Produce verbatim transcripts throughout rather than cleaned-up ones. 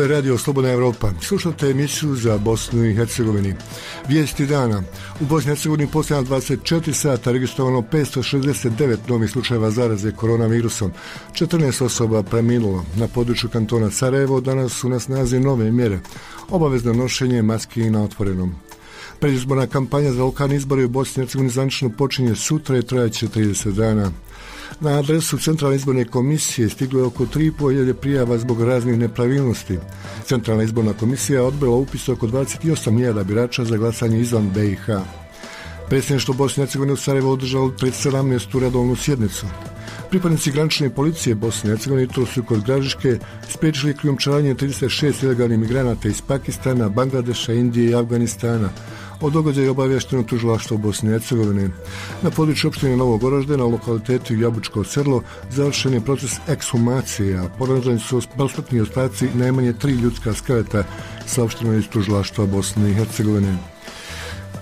je Radio Slobodna Evropa. Slušate emisiju za Bosnu i Hercegovini. Vijesti dana. U Bosni i Hercegovini posljednja dvadeset četiri sata registrovano petsto šezdeset devet novih slučajeva zaraze koronavirusom. četrnaest osoba preminulo. Na području kantona Sarajevo danas su na snazi nove mjere. Obavezno nošenje maski na otvorenom. Predizborna kampanja za lokalne izbore u Bosni i Hercegovini zvanično počinje sutra i trajaće trideset dana. Na adresu Centralne izborne komisije stiglo je oko tri i pol hiljade prijava zbog raznih nepravilnosti. Centralna izborna komisija odbila upis oko dvadeset osam hiljada birača za glasanje izvan B i H. Predsjedništvo Bosne i Hercegovine u Sarajevu održalo pred sedamnaestu redovnu sjednicu. Pripadnici granične policije Bosne i Hercegovine jutros su kod Gradiške spriječili krijumčarenje trideset šest ilegalnih migranata iz Pakistana, Bangladeša, Indije i Afganistana. O događaju je obavješteno tužilaštvo Bosne i Hercegovine. Na području opštine Novog Orožde, na lokalitetu Jabučko selo, završen je proces ekshumacije, a pronađeni su posmrtni ostaci najmanje tri ljudska skeleta, saopšteno je iz tužilaštva Bosne i Hercegovine.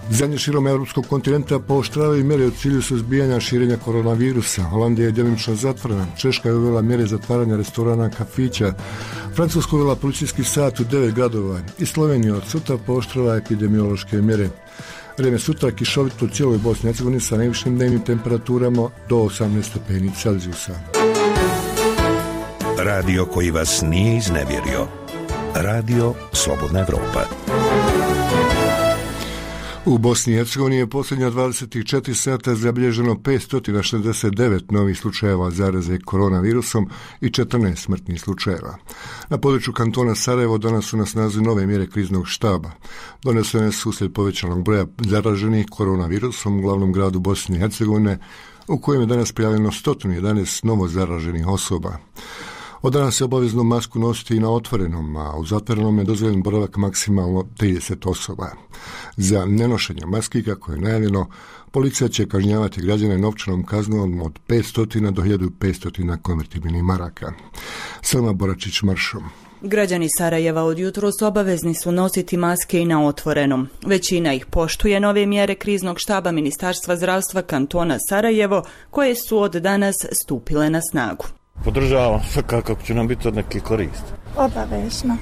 Zemlje širom evropskog kontinenta pooštravaju mjere u cilju suzbijanja širenja koronavirusa. Holandija je djelomično zatvorena, Češka je uvela mjere zatvaranja restorana, kafića, Francuska uvela policijski sat u devet gradova i Slovenija od sutra pooštrava epidemiološke mjere. Vrijeme sutra kišovito u cijeloj Bosni i Hercegovini sa najvišim dnevnim temperaturama do osamnaest stepeni Celzijusa. Radio koji vas nije iznevjerio. Radio Slobodna Evropa. U Bosni i Hercegovini je posljednja dvadeset četiri sata zabilježeno petsto šezdeset devet novih slučajeva zaraze koronavirusom i četrnaest smrtnih slučajeva. Na području kantona Sarajevo danas su na snazi nove mjere kriznog štaba. Donesene su uslijed povećanog broja zaraženih koronavirusom u glavnom gradu Bosne i Hercegovine, u kojem je danas prijavljeno sto jedanaest novo zaraženih osoba. Od danas je obavezno masku nositi i na otvorenom, a u zatvorenom je dozvoljen boravak maksimalno trideset osoba. Za nenošenje maski, kako je najavljeno, policija će kažnjavati građane novčanom kaznom od petsto do hiljadu petsto konvertibilnih maraka. Selma Boračić maršom. Građani Sarajeva od jutros obavezni su nositi maske i na otvorenom. Većina ih poštuje nove mjere kriznog štaba Ministarstva zdravstva kantona Sarajevo, koje su od danas stupile na snagu. Podržavam svakako će nam biti od neke koristi. Obavezno.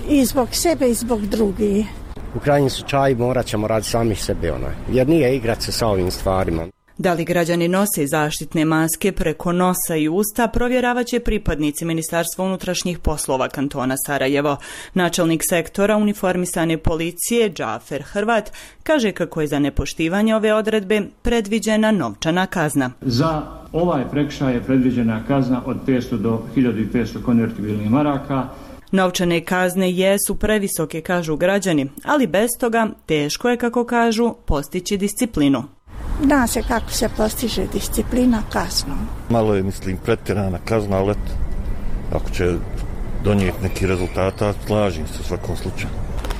I zbog sebe i zbog drugih. U krajnjem slučaju morat ćemo raditi sami sebe, onaj, jer nije igrat se sa ovim stvarima. Da li građani nose zaštitne maske preko nosa i usta, provjeravat će pripadnici Ministarstva unutrašnjih poslova kantona Sarajevo. Načelnik sektora uniformisane policije Džafer Hrvat kaže kako je za nepoštivanje ove odredbe predviđena novčana kazna. Za ovaj prekršaj je predviđena kazna od petsto do hiljadu petsto konvertibilnih maraka. Novčane kazne jesu previsoke, kažu građani, ali bez toga teško je, kako kažu, postići disciplinu. Zna se kako se postiže disciplina kaznom. Malo je, mislim, pretjerana kazna, ali ako će donijeti neki rezultata, slažem se u svakom slučaju.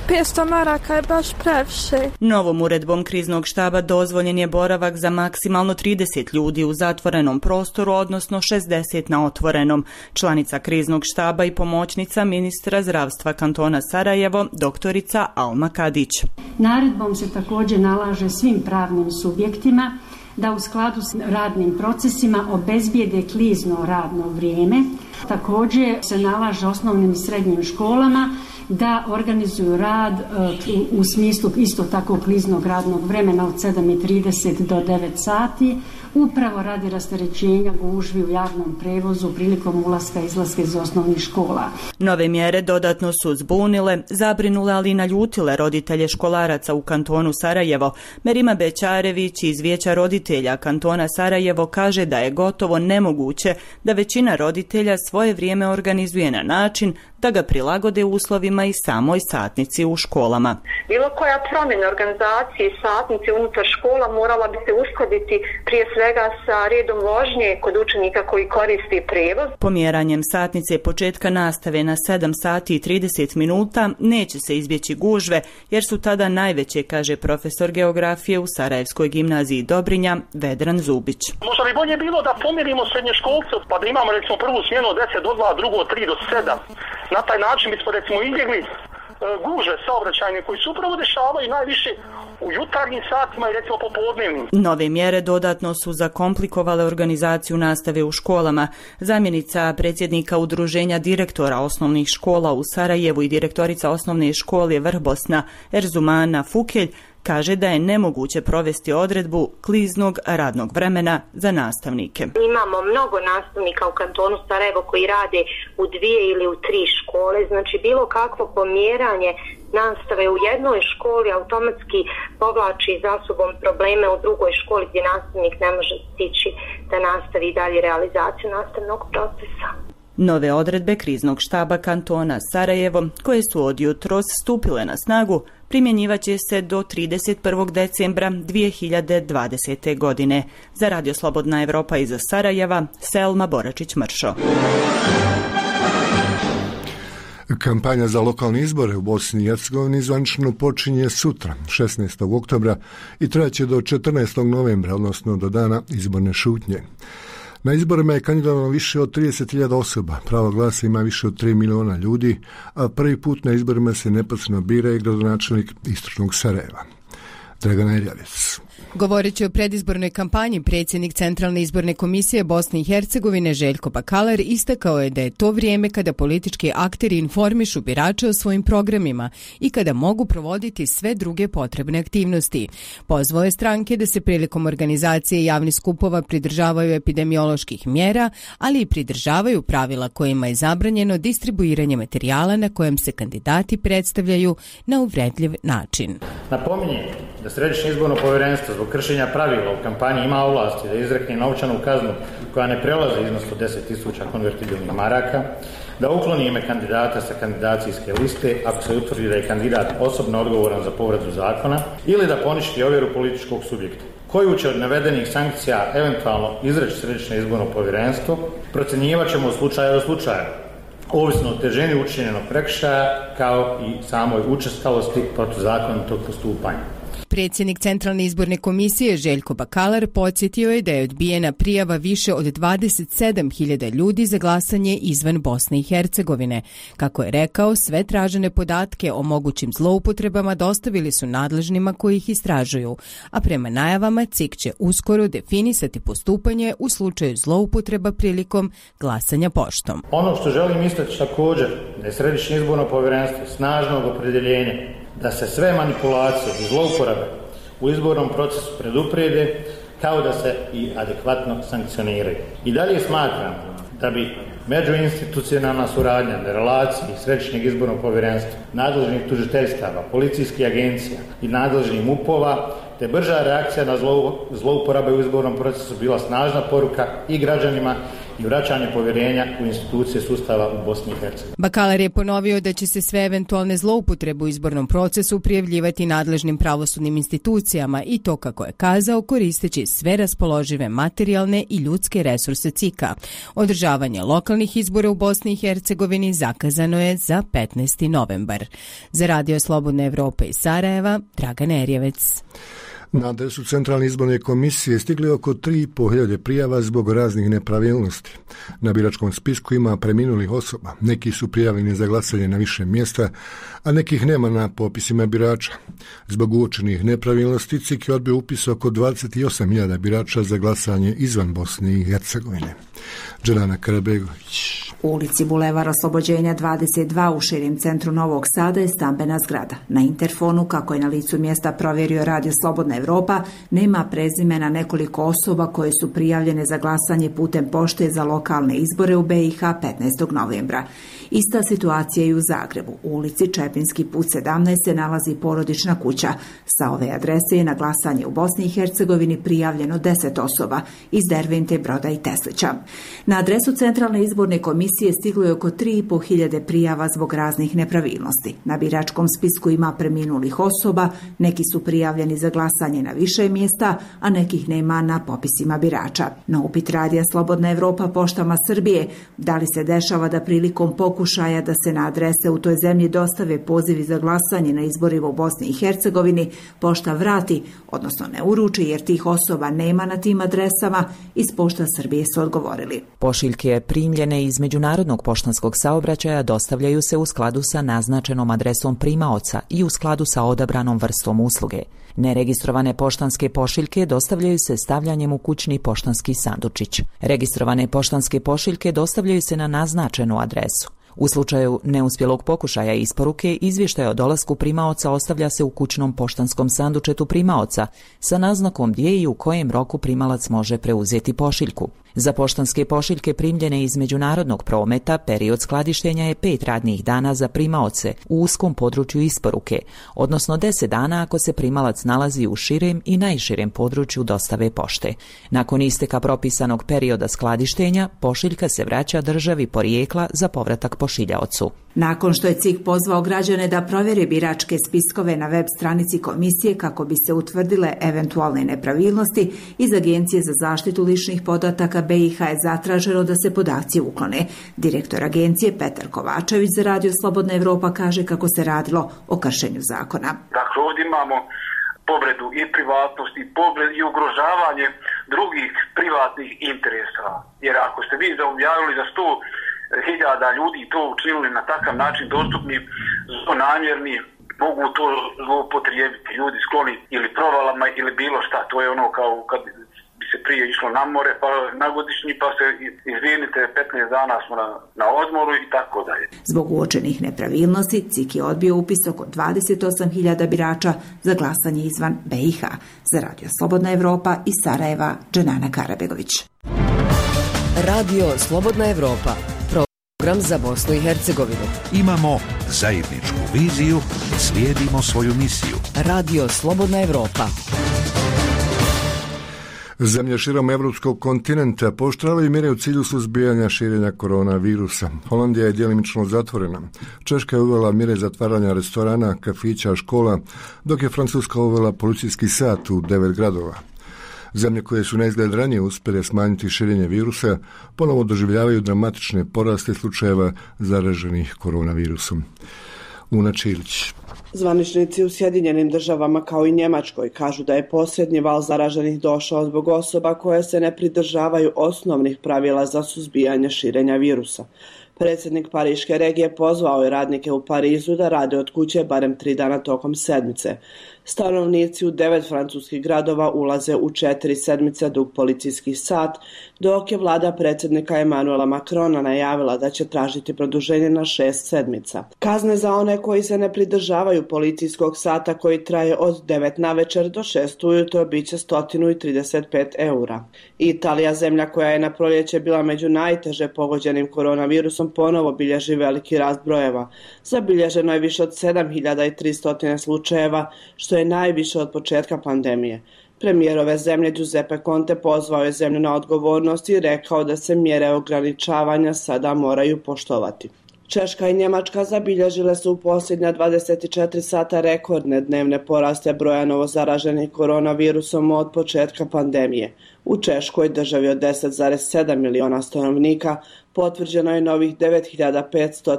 petsto maraka je baš previše. Novom uredbom kriznog štaba dozvoljen je boravak za maksimalno trideset ljudi u zatvorenom prostoru, odnosno šezdeset na otvorenom. Članica kriznog štaba i pomoćnica ministra zdravstva kantona Sarajevo, doktorica Alma Kadić. Naredbom se također nalaže svim pravnim subjektima da u skladu s radnim procesima obezbijede klizno radno vrijeme. Također se nalaže osnovnim i srednjim školama da organizuju rad u smislu isto tako kliznog radnog vremena od sedam i trideset do devet sati, upravo radi rasterećenja gužvi u javnom prevozu prilikom ulaska i izlaska iz osnovnih škola. Nove mjere dodatno su zbunile, zabrinule, ali i naljutile roditelje školaraca u kantonu Sarajevo. Merima Bećarević iz Vijeća roditelja kantona Sarajevo kaže da je gotovo nemoguće da većina roditelja svoje vrijeme organizuje na način da ga prilagode uslovima i samoj satnici u školama. Bilo koja promjena organizacije satnice unutar škola morala bi se uskladiti prije svega sa redom vožnje kod učenika koji koriste prevoz. Pomjeranjem satnice početka nastave na sedam sati i trideset minuta neće se izbjeći gužve, jer su tada najveće, kaže profesor geografije u Sarajevskoj gimnaziji Dobrinja Vedran Zubić. Možda bi bolje bilo da pomjerimo srednjoškolce, pa da imamo recimo prvu smjenu od deset do dva, drugu od tri do sedam. Na taj način bismo recimo izbjegli gužve saobraćajne koji se upravo dešavaju najviše u jutarnjim satima i recimo popodnevnim. Nove mjere dodatno su zakomplikovale organizaciju nastave u školama. Zamjenica predsjednika Udruženja direktora osnovnih škola u Sarajevu i direktorica osnovne škole Vrbosna Erzumana Fukelj kaže da je nemoguće provesti odredbu kliznog radnog vremena za nastavnike. Imamo mnogo nastavnika u kantonu Sarajevo koji rade u dvije ili u tri škole, znači bilo kakvo pomjeranje nastave u jednoj školi automatski povlači za sobom probleme u drugoj školi gdje nastavnik ne može stići da nastavi dalje realizaciju nastavnog procesa. Nove odredbe kriznog štaba kantona Sarajevo, koje su od jutros stupile na snagu, primjenjivaće se do trideset prvog decembra dvije hiljade dvadesete. godine. Za Radio Slobodna Evropa iz Sarajeva, Selma Boračić-Mršo. Kampanja za lokalne izbore u Bosni i Hercegovini zvanično počinje sutra, šesnaestog oktobra, i trajaće do četrnaestog novembra, odnosno do dana izborne šutnje. Na izborima je kandidovano više od trideset hiljada osoba, pravo glasa ima više od tri miliona ljudi, a prvi put na izborima se neposredno bira i gradonačelnik istočnog Sarajeva. Dragana Erjavec. Govoreći o predizbornoj kampanji, predsjednik Centralne izborne komisije Bosne i Hercegovine Željko Bakalar istakao je da je to vrijeme kada politički akteri informišu birače o svojim programima i kada mogu provoditi sve druge potrebne aktivnosti. Pozvao je stranke da se prilikom organizacije javnih skupova pridržavaju epidemioloških mjera, ali i pridržavaju pravila kojima je zabranjeno distribuiranje materijala na kojem se kandidati predstavljaju na uvredljiv način. Napominjem da Središnje izborno povjerenstvo zbog kršenja pravila u kampanji ima ovlasti da izrekne novčanu kaznu koja ne prelazi iznos od deset tisuća konvertibilnih maraka, da ukloni ime kandidata sa kandidacijske liste ako se utvrdi da je kandidat osobno odgovoran za povredu zakona ili da poništi ovjeru političkog subjekta. Koju će od navedenih sankcija eventualno izreći Središnje izborno povjerenstvo, procjenjivat ćemo u slučaju do slučaja, ovisno o težini učinjenog prekršaja kao i samoj učestalosti protuzakonitog postupanja. Predsjednik Centralne izborne komisije Željko Bakalar podsjetio je da je odbijena prijava više od dvadeset sedam hiljada ljudi za glasanje izvan Bosne i Hercegovine. Kako je rekao, sve tražene podatke o mogućim zloupotrebama dostavili su nadležnima koji ih istražuju, a prema najavama C I K će uskoro definisati postupanje u slučaju zloupotreba prilikom glasanja poštom. Ono što želim istaći također da je Središnje izborno povjerenstvo snažnog opredjeljenja da se sve manipulacije i zlouporabe u izbornom procesu preduprijede kao da se i adekvatno sankcioniraju. I dalje smatram da bi međuinstitucionalna suradnja na relaciji Središnjeg izbornog povjerenstva, nadležnih tužiteljstava, policijskih agencija i nadležnih M U P-ova te brža reakcija na zlouporabe u izbornom procesu bila snažna poruka i građanima i vraćanje povjerenja u institucije sustava u Bosni i Hercegovini. Bakalar je ponovio da će se sve eventualne zloupotrebe u izbornom procesu prijavljivati nadležnim pravosudnim institucijama i to, kako je kazao, koristeći sve raspoložive materijalne i ljudske resurse C I K-a. Održavanje lokalnih izbora u Bosni i Hercegovini zakazano je za petnaesti novembar. Za Radio Slobodna Evropa iz Sarajeva, Dragana Erjavec. Na adresu Centralne izborne komisije stigli oko tri i pol hiljade prijava zbog raznih nepravilnosti. Na biračkom spisku ima preminulih osoba. Neki su prijavljeni za glasanje na više mjesta, a nekih nema na popisima birača. Zbog uočenih nepravilnosti C I K je odbio upis oko dvadeset osam hiljada birača za glasanje izvan Bosne i Hercegovine. Đelana Karabegović. U ulici Bulevar Oslobođenja dvadeset dva u širem centru Novog Sada je stambena zgrada. Na interfonu, kako je na licu mjesta provjerio Radio Slobodna Evropa, nema prezimena nekoliko osoba koje su prijavljene za glasanje putem pošte za lokalne izbore u B i H petnaestog novembra. Ista situacija je i u Zagrebu. U ulici Čepinski put sedamnaest se nalazi porodična kuća. Sa ove adrese je na glasanje u Bosni i Hercegovini prijavljeno deset osoba iz Dervente, Broda i Teslića. Na adresu Centralne izborne komisije stiglo je oko tri i pol hiljade prijava zbog raznih nepravilnosti. Na biračkom spisku ima preminulih osoba, neki su prijavljeni za glasanje na više mjesta, a nekih nema na popisima birača. Na upit Radija Slobodna Evropa poštama Srbije, da li se dešava da prilikom pokušaja da se na adrese u toj zemlji dostave pozivi za glasanje na izborima u Bosni i Hercegovini, pošta vrati, odnosno ne uruči jer tih osoba nema na tim adresama, iz pošta Srbije su odgovorili. zatvorili. Pošiljke primljene iz međunarodnog poštanskog saobraćaja dostavljaju se u skladu sa naznačenom adresom primaoca i u skladu sa odabranom vrstom usluge. Neregistrovane poštanske pošiljke dostavljaju se stavljanjem u kućni poštanski sandučić. Registrovane poštanske pošiljke dostavljaju se na naznačenu adresu. U slučaju neuspjelog pokušaja isporuke, izvještaj o dolasku primaoca ostavlja se u kućnom poštanskom sandučetu primaoca sa naznakom gdje i u kojem roku primalac može preuzeti pošiljku. Za poštanske pošiljke primljene iz međunarodnog prometa period skladištenja je pet radnih dana za primaoce u uskom području isporuke, odnosno deset dana ako se primalac nalazi u širem i najširem području dostave pošte. Nakon isteka propisanog perioda skladištenja, pošiljka se vraća državi porijekla za povratak pošiljaocu. Nakon što je C I K pozvao građane da provjere biračke spiskove na web stranici komisije kako bi se utvrdile eventualne nepravilnosti, iz Agencije za zaštitu ličnih podataka B i H je zatraženo da se podaci uklone. Direktor agencije Petar Kovačević za Radio Slobodna Evropa kaže kako se radilo o kršenju zakona. Dakle, ovdje imamo povredu i privatnosti i, povred, i ugrožavanje drugih privatnih interesa. Jer ako ste vi objavili za sto hiljada ljudi to učinili na takav način dostupni, zlonamjerni, mogu to zloupotrijebiti ljudi skloni ili provalama ili bilo šta. To je ono kao kad bi se prije išlo na more pa na godišnji pa se izvinite petnaest dana smo na, na odmoru i tako dalje. Zbog uočenih nepravilnosti C I K je odbio upis oko dvadeset osam hiljada birača za glasanje izvan B i H. Za Radio Slobodna Evropa iz Sarajeva, Dženana Karabegović. Radio Slobodna Evropa, program za Bosnu i Hercegovinu. Imamo zajedničku viziju, slijedimo svoju misiju. Radio Slobodna Evropa. Zemlje širom evropskog kontinenta pooštravaju mjere u cilju suzbijanja širenja koronavirusa. Holandija je djelimično zatvorena. Češka je uvela mjere zatvaranja restorana, kafića, škola, dok je Francuska uvela policijski sat u devet gradova. Zemlje koje su na izgled ranije uspjele smanjiti širenje virusa ponovo doživljavaju dramatične poraste slučajeva zaraženih koronavirusom. Una Čilić. Zvaničnici u Sjedinjenim državama kao i Njemačkoj kažu da je posljednji val zaraženih došao zbog osoba koje se ne pridržavaju osnovnih pravila za suzbijanje širenja virusa. Predsjednik Pariške regije pozvao je radnike u Parizu da rade od kuće barem tri dana tokom sedmice. Stanovnici u devet francuskih gradova ulaze u četiri sedmice dug policijski sat, dok je vlada predsjednika Emanuela Macrona najavila da će tražiti produženje na šest sedmica. Kazne za one koji se ne pridržavaju policijskog sata koji traje od devet navečer do šest ujutro bit će sto trideset pet eura. Italija, zemlja koja je na proljeće bila među najteže pogođenim koronavirusom, ponovo bilježi veliki rast brojeva. Zabilježeno je više od sedam hiljada tristo slučajeva, što je najviše od početka pandemije. Premijer ove zemlje Giuseppe Conte pozvao je zemlju na odgovornost i rekao da se mjere ograničavanja sada moraju poštovati. Češka i Njemačka zabilježile su u posljednja dvadeset četiri sata rekordne dnevne poraste broja novozaraženih koronavirusom od početka pandemije. U Češkoj, državi od deset zarez sedam miliona stanovnika, potvrđeno je novih devet hiljada petsto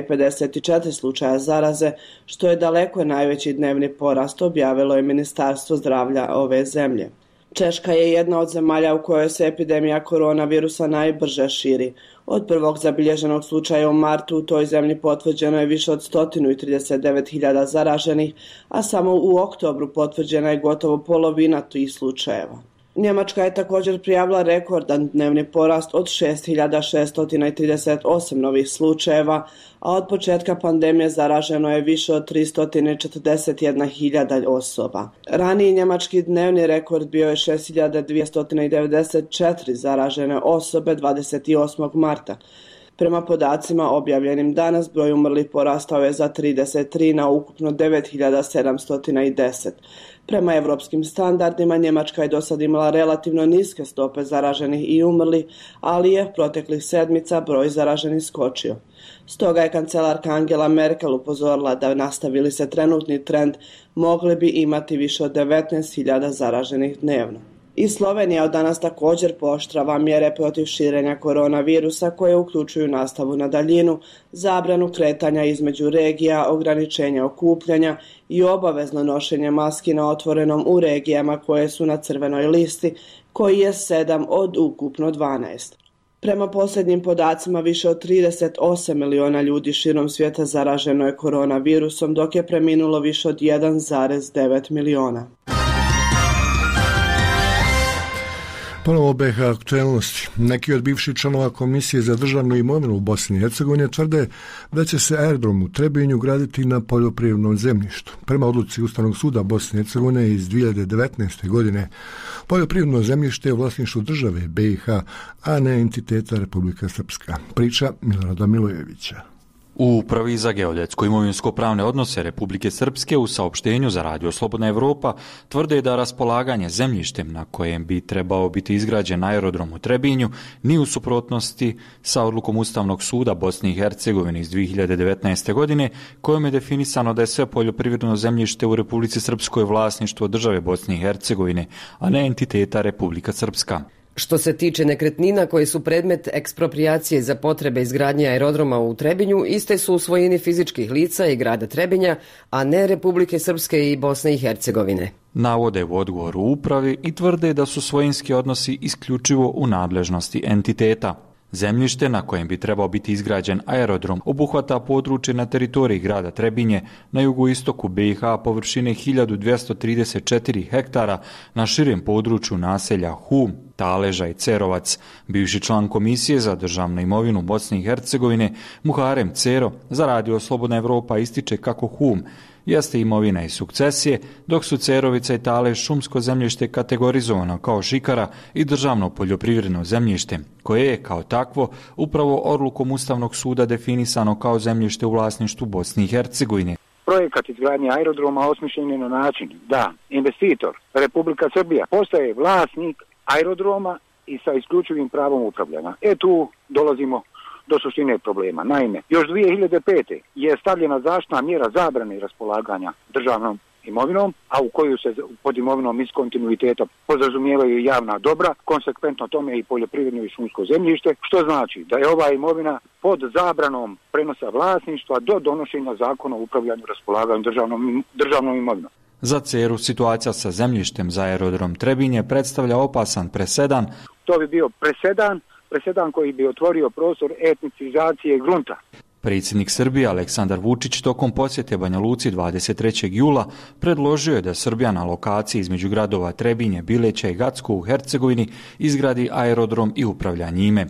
pedeset četiri slučaja zaraze, što je daleko najveći dnevni porast, objavilo je Ministarstvo zdravlja ove zemlje. Češka je jedna od zemalja u kojoj se epidemija koronavirusa najbrže širi. Od prvog zabilježenog slučaja u martu u toj zemlji potvrđeno je više od sto trideset devet hiljada zaraženih, a samo u oktobru potvrđena je gotovo polovina tih slučajeva. Njemačka je također prijavila rekordan dnevni porast od šest hiljada šesto trideset osam novih slučajeva, a od početka pandemije zaraženo je više od tristo četrdeset jedna hiljada osoba. Raniji njemački dnevni rekord bio je šest hiljada dvjesto devedeset četiri zaražene osobe dvadeset osmog marta. Prema podacima objavljenim danas, broj umrlih porastao je za trideset tri na ukupno devet hiljada sedamsto deset. Prema evropskim standardima, Njemačka je do sad imala relativno niske stope zaraženih i umrlih, ali je proteklih sedmica broj zaraženih skočio. Stoga je kancelarka Angela Merkel upozorila da nastavili se trenutni trend, mogli bi imati više od devetnaest hiljada zaraženih dnevno. I Slovenija od danas također pooštrava mjere protiv širenja koronavirusa koje uključuju nastavu na daljinu, zabranu kretanja između regija, ograničenja okupljanja i obavezno nošenje maski na otvorenom u regijama koje su na crvenoj listi, koji je sedam od ukupno dvanaest. Prema posljednjim podacima, više od trideset osam miliona ljudi širom svijeta zaraženo je koronavirusom, dok je preminulo više od jedan zarez devet miliona. Ponovo B H aktualnosti. Neki od bivših članova Komisije za državnu imovinu u Bosni i Hercegovini tvrde da će se aerodrom u Trebinju graditi na poljoprivrednom zemljištu. Prema odluci Ustavnog suda Bosne i Hercegovine iz dvije hiljade devetnaeste. godine, poljoprivredno zemljište je u vlasništvu države B i H, a ne entiteta Republika Srpska. Priča Milorada Milojevića. U Upravi za geodetsko imovinsko-pravne odnose Republike Srpske u saopštenju za Radio Slobodna Evropa tvrde da raspolaganje zemljištem na kojem bi trebao biti izgrađen aerodrom u Trebinju nije u suprotnosti sa odlukom Ustavnog suda Bosne i Hercegovine iz dvije hiljade devetnaeste. godine kojom je definisano da je sve poljoprivredno zemljište u Republici Srpskoj vlasništvo države Bosne i Hercegovine, a ne entiteta Republika Srpska. Što se tiče nekretnina koje su predmet eksproprijacije za potrebe izgradnje aerodroma u Trebinju, iste su u svojini fizičkih lica i grada Trebinja, a ne Republike Srpske i Bosne i Hercegovine. Navode u odgovoru upravi i tvrde da su svojinski odnosi isključivo u nadležnosti entiteta. Zemljište na kojem bi trebao biti izgrađen aerodrom obuhvata područje na teritoriji grada Trebinje na jugoistoku B i H površine hiljadu dvjesto trideset četiri hektara na širem području naselja Hum, Taleža i Cerovac. Bivši član Komisije za državnu imovinu Bosne i Hercegovine Muharem Cero za Radio Slobodna Evropa ističe kako Hum jeste imovina i sukcesije, dok su Cerovica i Talež šumsko zemljište kategorizovano kao šikara i državno poljoprivredno zemljište, koje je kao takvo upravo odlukom Ustavnog suda definisano kao zemljište u vlasništvu Bosne i Hercegovine. Projekat izgradnje aerodroma osmišljen je na način da investitor Republika Srbija postaje vlasnik aerodroma i sa isključivim pravom upravljanja. E tu dolazimo do suštine problema. Naime, još dvije hiljade pete. je stavljena zaštitna mjera zabrane raspolaganja državnom imovinom, a u koju se pod imovinom iz kontinuiteta podrazumijevaju javna dobra, konsekventno tome i poljoprivredno i šumsko zemljište, što znači da je ova imovina pod zabranom prenosa vlasništva do donošenja zakona o upravljanju raspolaganju državnom, državnom imovinom. Za Ceru situacija sa zemljištem za aerodrom Trebinje predstavlja opasan presedan. To bi bio presedan, presedan koji bi otvorio prostor etnicizacije grunta. Predsjednik Srbije Aleksandar Vučić tokom posjete Banja Luci dvadeset trećeg jula predložio je da Srbija na lokaciji između gradova Trebinje, Bileća i Gacko u Hercegovini izgradi aerodrom i upravlja njime.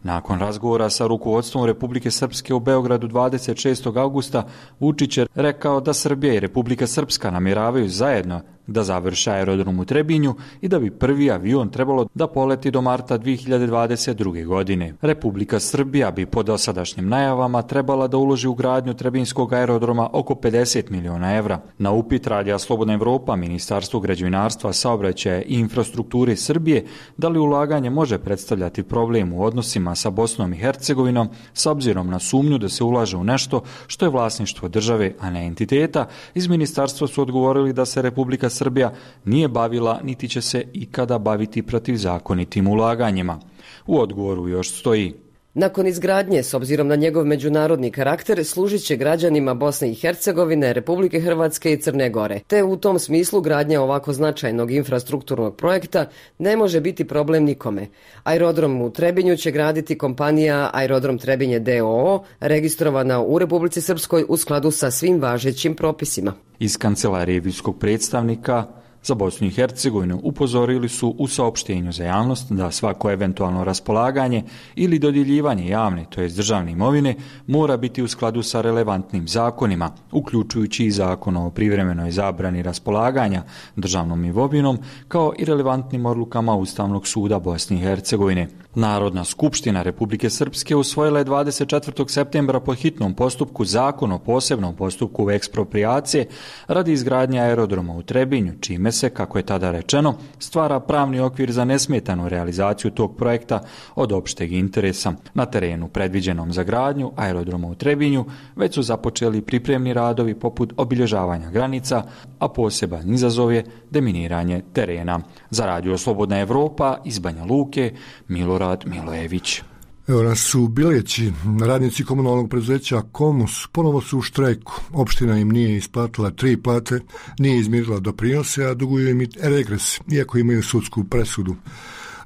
Nakon razgovora sa rukovodstvom Republike Srpske u Beogradu dvadeset šestog augusta, Vučić je rekao da Srbija i Republika Srpska namjeravaju zajedno da završe aerodrom u Trebinju i da bi prvi avion trebalo da poleti do marta dvije hiljade dvadeset druge. godine. Republika Srbija bi po dosadašnjim najavama trebala da uloži u gradnju Trebinjskog aerodroma oko pedeset miliona evra. Na upit Radija Slobodna Evropa, Ministarstvo građevinarstva, saobraćaja i infrastrukture Srbije, da li ulaganje može predstavljati problem u odnosima sa Bosnom i Hercegovinom, s obzirom na sumnju da se ulaže u nešto što je vlasništvo države, a ne entiteta, iz ministarstva su odgovorili da se Republika Srbija nije bavila niti će se ikada baviti protivzakonitim ulaganjima. U odgovoru još stoji: nakon izgradnje, s obzirom na njegov međunarodni karakter, služit će građanima Bosne i Hercegovine, Republike Hrvatske i Crne Gore. Te u tom smislu gradnja ovako značajnog infrastrukturnog projekta ne može biti problem nikome. Aerodrom u Trebinju će graditi kompanija Aerodrom Trebinje d o o, registrovana u Republici Srpskoj u skladu sa svim važećim propisima. Iz kancelarije visokog predstavnika za Bosnu i Hercegovinu upozorili su u saopštenju za javnost da svako eventualno raspolaganje ili dodjeljivanje javne, to jest državne imovine, mora biti u skladu sa relevantnim zakonima, uključujući i zakon o privremenoj zabrani raspolaganja državnom imovinom, kao i relevantnim odlukama Ustavnog suda Bosne i Hercegovine. Narodna skupština Republike Srpske usvojila je dvadeset četvrtog septembra po hitnom postupku zakon o posebnom postupku eksproprijacije radi izgradnje aerodroma u Trebinju, čime se, kako je tada rečeno, stvara pravni okvir za nesmetanu realizaciju tog projekta od opšteg interesa. Na terenu predviđenom za gradnju aerodroma u Trebinju već su započeli pripremni radovi poput obilježavanja granica, a poseban izazov je deminiranje terena. Za Radio Slobodna Evropa iz Banja Luke, Milorad Milojević. Evo nas u Bileći, radnici komunalnog preduzeća Komus ponovo su u štrajku. Opština im nije isplatila tri plate, nije izmirila doprinose, a duguju im i regres, iako imaju sudsku presudu.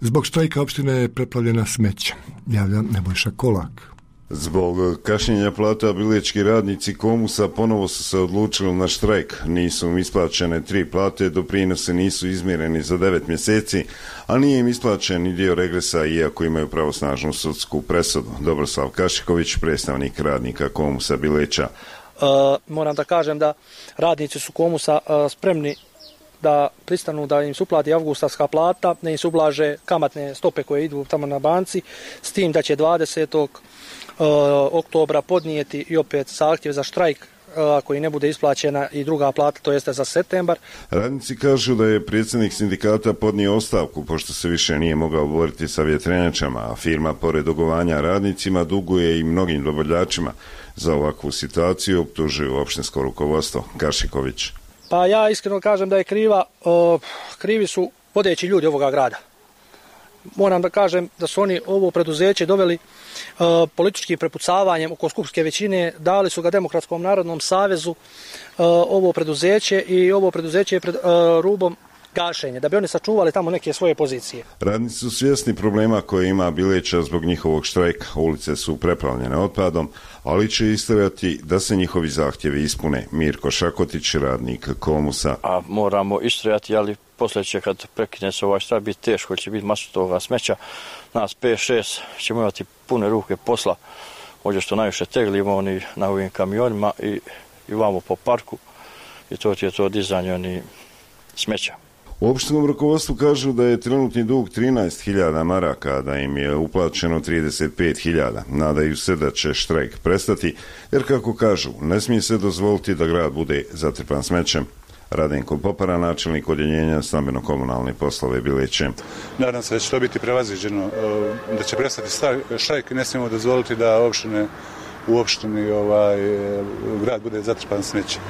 Zbog štrajka opština je preplavljena smeća, javlja Nebojša Kolak. Zbog kašnjenja plata bilječki radnici Komusa ponovo su se odlučili na štrajk. Nisu im isplaćene tri plate, doprinose nisu izmjereni za devet mjeseci, a nije im isplaćen ni dio regresa iako imaju pravosnažnu sudsku presudu. Dobroslav Kašiković, predstavnik radnika Komusa Bileća. Uh, moram da kažem da radnici su Komusa uh, spremni da pristanu da im se uplati avgustovska plata, da im se ublaže kamatne stope koje idu tamo na banci, s tim da će dvadesetog oktobra podnijeti i opet zahtjev za štrajk ako i ne bude isplaćena i druga plata, to jeste za septembar. Radnici kažu da je predsjednik sindikata podnio ostavku pošto se više nije mogao boriti sa vjetrenjačama, a firma pored dugovanja radnicima duguje i mnogim dobavljačima. Za ovakvu situaciju optužuju opštinsko rukovodstvo. Kašiković. Pa ja iskreno kažem da je kriva, uh, krivi su vodeći ljudi ovoga grada. Moram da kažem da su oni ovo preduzeće doveli uh, političkim prepucavanjem oko skupske većine, dali su ga Demokratskom narodnom savezu uh, ovo preduzeće i ovo preduzeće je pred uh, rubom gašenja, da bi oni sačuvali tamo neke svoje pozicije. Radnici su svjesni problema koje ima Bileća zbog njihovog štrajka. Ulice su preplavljene otpadom, ali će istrajati da se njihovi zahtjevi ispune. Mirko Šakotić, radnik Komusa. A moramo istrajati, ali poslije će kad prekine se ovaj štrajk biti teško, će biti masu toga smeća. Nas pet šest ćemo imati pune ruke posla. Ovdje što najviše teglimo oni na ovim kamionima i, i vamo po parku i to ti je to dizanje oni smeća. U opštinskom rukovodstvu kažu da je trenutni dug trinaest hiljada maraka, da im je uplaćeno trideset pet hiljada. Nadaju se da će štrajk prestati, jer kako kažu, ne smije se dozvoliti da grad bude zatrpan smećem. Radenko Popara, načelnik odjeljenja stambeno-komunalne poslove Bileće. Nadam se da će to biti prevaziđeno, da će prestati štrajk. Ne smijemo dozvoliti da opštine, u opštini ovaj, grad bude zatrpan smećem.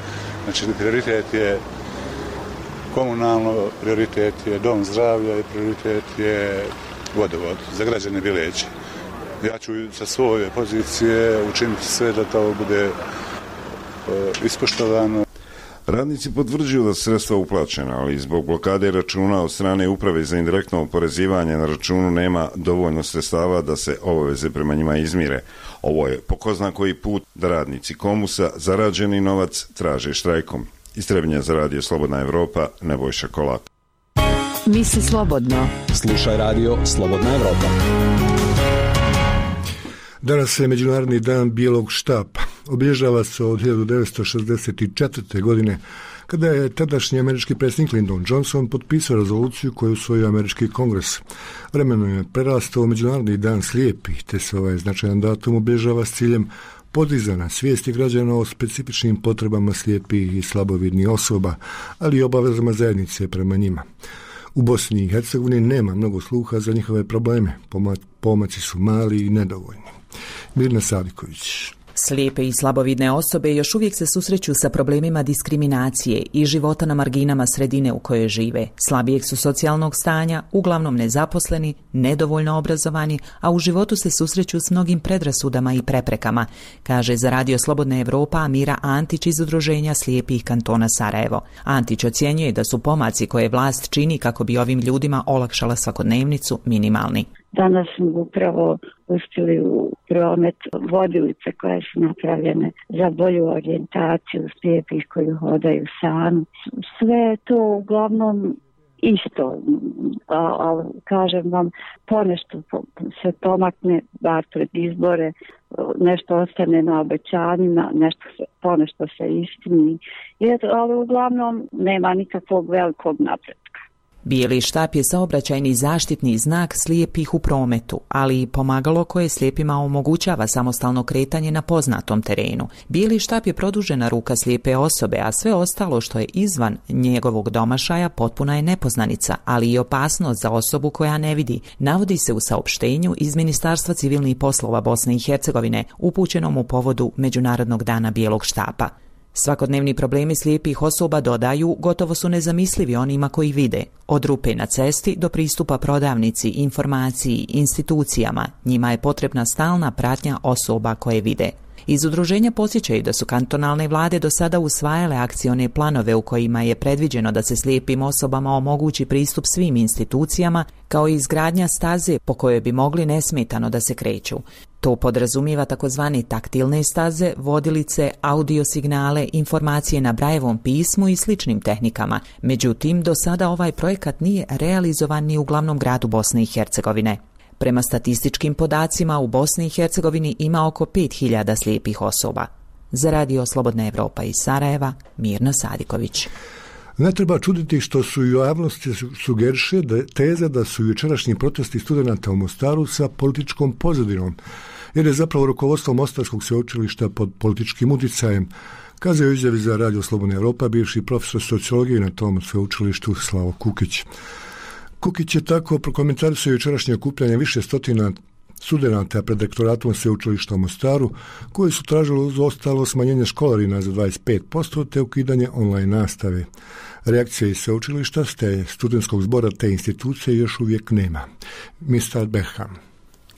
Znači, prioritet je komunalno, prioritet je dom zdravlja i prioritet je vodovod za građane Bileće. Ja ću sa svoje pozicije učiniti sve da to bude ispoštovano. Radnici potvrđuju da su sredstva uplaćena, ali zbog blokade računa od strane Uprave za indirektno oporezivanje na računu nema dovoljno sredstava da se obaveze prema njima izmire. Ovo je po ko zna koji put da radnici Komusa zarađeni novac traže štrajkom. Iz Trebinja za radio Slobodna Evropa, Nebojša Kolak. Misli slobodno. Slušaj radio Slobodna Evropa. Danas je Međunarodni dan bijelog štapa. Obilježava se od hiljadu devetsto šezdeset četvrte. godine, kada je tadašnji američki predsjednik Lyndon Johnson potpisao rezoluciju koju usvojio američki kongres. Vremenom je prerastao u Međunarodni dan slijepih, te se ovaj značajan datum obilježava s ciljem podizana svijesti građana o specifičnim potrebama slijepih i slabovidnih osoba, ali i obavezama zajednice prema njima. U Bosni i Hercegovini nema mnogo sluha za njihove probleme, pomaci su mali i nedovoljni. Mirna Saviković. Slijepe i slabovidne osobe još uvijek se susreću sa problemima diskriminacije i života na marginama sredine u kojoj žive. Slabijeg su socijalnog stanja, uglavnom nezaposleni, nedovoljno obrazovani, a u životu se susreću s mnogim predrasudama i preprekama, kaže za radio Slobodna Evropa Amira Antić iz Udruženja slijepih kantona Sarajevo. Antić ocjenjuje da su pomaci koje vlast čini kako bi ovim ljudima olakšala svakodnevnicu minimalni. Danas smo upravo pustili u promet vodilice koje su napravljene za bolju orijentaciju slijepih koji hodaju sami. Sve je to uglavnom isto, ali kažem vam, ponešto se pomakne, bar pred izbore, nešto ostane na obećanjima, nešto se, ponešto se istini, ali uglavnom nema nikakvog velikog napretka. Bijeli štap je saobraćajni zaštitni znak slijepih u prometu, ali i pomagalo koje slijepima omogućava samostalno kretanje na poznatom terenu. Bijeli štap je produžena ruka slijepe osobe, a sve ostalo što je izvan njegovog domašaja potpuna je nepoznanica, ali i opasnost za osobu koja ne vidi, navodi se u saopštenju iz Ministarstva civilnih poslova Bosne i Hercegovine, upućenom u povodu Međunarodnog dana bijelog štapa. Svakodnevni problemi slijepih osoba, dodaju, gotovo su nezamislivi onima koji vide. Od rupe na cesti do pristupa prodavnici, informaciji, institucijama, njima je potrebna stalna pratnja osoba koje vide. Iz udruženja podsjećaju da su kantonalne vlade do sada usvajale akcione planove u kojima je predviđeno da se slijepim osobama omogući pristup svim institucijama, kao i izgradnja staze po kojoj bi mogli nesmetano da se kreću. To podrazumijeva takozvane taktilne staze, vodilice, audio signale, informacije na Brajevom pismu i sličnim tehnikama. Međutim, do sada ovaj projekat nije realizovan ni u glavnom gradu Bosne i Hercegovine. Prema statističkim podacima u Bosni i Hercegovini ima oko pet hiljada slijepih osoba. Za Radio Slobodna Evropa iz Sarajeva, Mirna Sadiković. Ne treba čuditi što su i u javnosti sugeriše da teza da su jučerašnji protesti studenata u Mostaru sa političkom pozadinom, jer je zapravo rukovodstvo Mostarskog sveučilišta pod političkim utjecajem, kazao u izjavi za Radio Slobodna Evropa bivši profesor sociologije na tom sveučilištu Slavo Kukić. Kukić je tako prokomentarisao jučerašnje okupljanje više stotina studenata pred rektoratom sveučilišta u Mostaru, koji su tražili uz ostalo smanjenje školarina za dvadeset pet posto te ukidanje online nastave. Reakcije iz sveučilišta te studentskog zbora te institucije još uvijek nema. mister Beham.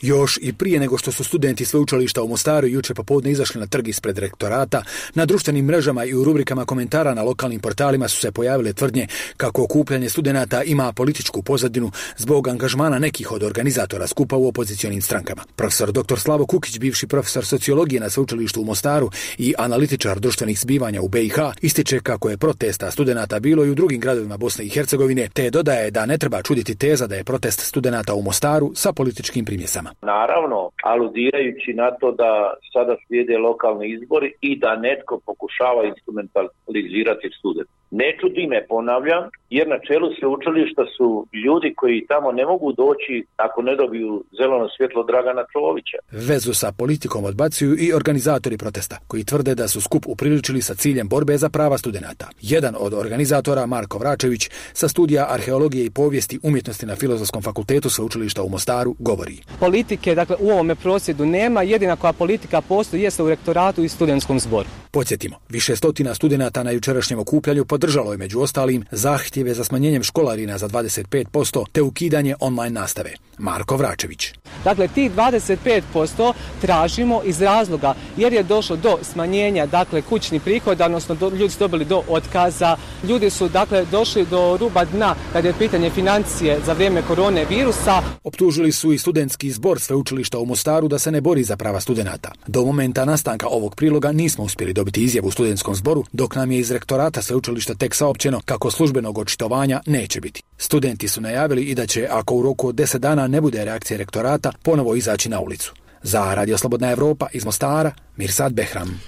Još i prije nego što su studenti sveučilišta u Mostaru jučer popodne izašli na trg ispred rektorata, na društvenim mrežama i u rubrikama komentara na lokalnim portalima su se pojavile tvrdnje kako okupljanje studenata ima političku pozadinu zbog angažmana nekih od organizatora skupa u opozicionim strankama. Profesor doktor Slavo Kukić, bivši profesor sociologije na sveučilištu u Mostaru i analitičar društvenih zbivanja u be i ha, ističe kako je protesta studenata bilo i u drugim gradovima Bosne i Hercegovine, te dodaje da ne treba čuditi teza da je protest studenata u Mostaru sa političkim primjesama. Naravno, aludirajući na to da sada slijede lokalni izbori i da netko pokušava instrumentalizirati studente. Ne čudi me, ponavljam, jer na čelu sveučilišta su ljudi koji tamo ne mogu doći ako ne dobiju zeleno svjetlo Dragana Čovića. Vezu sa politikom odbacuju i organizatori protesta, koji tvrde da su skup upriličili sa ciljem borbe za prava studenata. Jedan od organizatora, Marko Vračević, sa studija arheologije i povijesti umjetnosti na Filozofskom fakultetu sveučilišta u Mostaru, govori. Politike, dakle, u ovome prosvjedu nema, jedina koja politika postoji jeste u rektoratu i studentskom zboru. Podsjetimo, više stotina studenata na jučerašnjem okupljanju podržalo je među ostalim zahtjeve za smanjenjem školarina za dvadeset pet posto te ukidanje online nastave. Marko Vračević. Dakle, ti dvadeset pet posto tražimo iz razloga jer je došlo do smanjenja, dakle, kućnih prihoda, odnosno do, ljudi su dobili do otkaza, ljudi su, dakle, došli do ruba dna kad je pitanje financije za vrijeme korone virusa. Optužili su i studentski zbor sveučilišta u Mostaru da se ne bori za prava studenata. Do momenta nastanka ovog priloga nismo uspjeli dobiti izjavu u studentskom zboru, dok nam je iz rektorata sveučilišta tek saopćeno kako službenog očitovanja neće biti. Studenti su najavili i da će, ako u roku od deset dana ne bude reakcije rektorata, ponovo izaći na ulicu. Za Radio Slobodna Evropa iz Mostara, Mirsad Behram.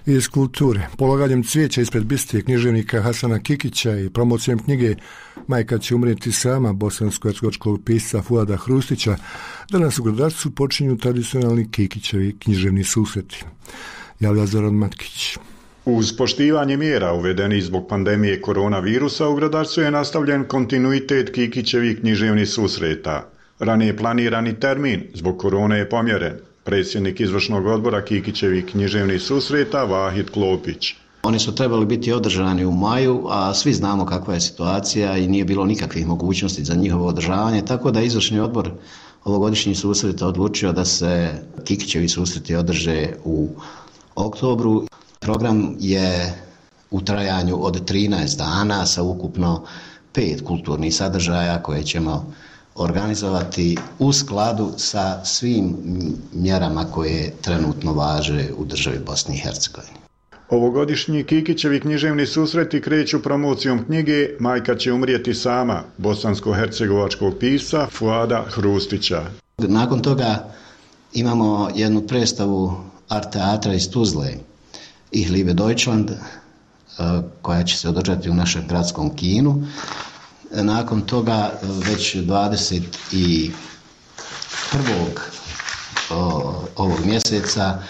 Iz kulture, polaganjem cvijeća ispred biste književnika Hasana Kikića i promocijom knjige Majka će umrijeti sama bosansko-hercegovačkog pisca Fuada Hrustića, danas u Gradarcu počinju tradicionalni Kikićevi književni susreti. Javlja Zoran Matkić. Uz poštivanje mjera uvedenih zbog pandemije koronavirusa u Gradarcu je nastavljen kontinuitet Kikićevih književnih susreta. Ranije planirani termin zbog korone je pomjeren. Predsjednik izvršnog odbora Kikićevih književnih susreta Vahid Klopić. Oni su trebali biti održani u maju, a svi znamo kakva je situacija i nije bilo nikakvih mogućnosti za njihovo održavanje, tako da izvršni odbor ovogodišnjih susreta odlučio da se Kikićevi susreti održe u oktobru. Program je u trajanju od trinaest dana sa ukupno pet kulturnih sadržaja koje ćemo organizovati u skladu sa svim mjerama koje trenutno važe u državi Bosni i Hercegovini. Ovogodišnji Kikićevi književni susreti kreću promocijom knjige Majka će umrijeti sama bosansko-hercegovačkog pisca Fuada Hrustića. Nakon toga imamo jednu predstavu art teatra iz Tuzle, Ich liebe Deutschland, koja će se održati u našem gradskom kinu. Nakon toga već dvadeset prvog ovog mjeseca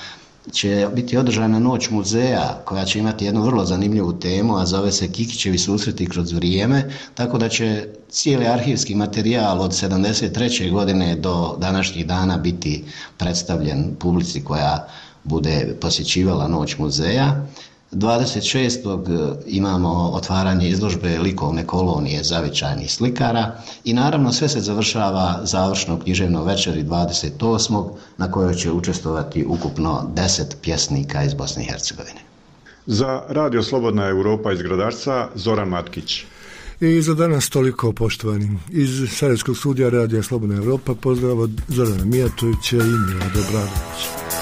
će biti održana noć muzeja koja će imati jednu vrlo zanimljivu temu, a zove se Kikićevi susreti kroz vrijeme, tako da će cijeli arhivski materijal od sedamdeset treće godine do današnjih dana biti predstavljen publici koja bude posjećivala noć muzeja. dvadeset šestog imamo otvaranje izložbe likovne kolonije zavičajnih slikara i naravno sve se završava završno književno večeri dvadeset osmog na kojoj će učestvovati ukupno deset pjesnika iz Bosne i Hercegovine. Za Radio Slobodna Europa iz Gradarca, Zoran Matkić. I za danas toliko, poštovani. Iz Sarajevskog studija Radija Slobodna Europa pozdrav od Zorana Mijatovića i Milada Obradovića.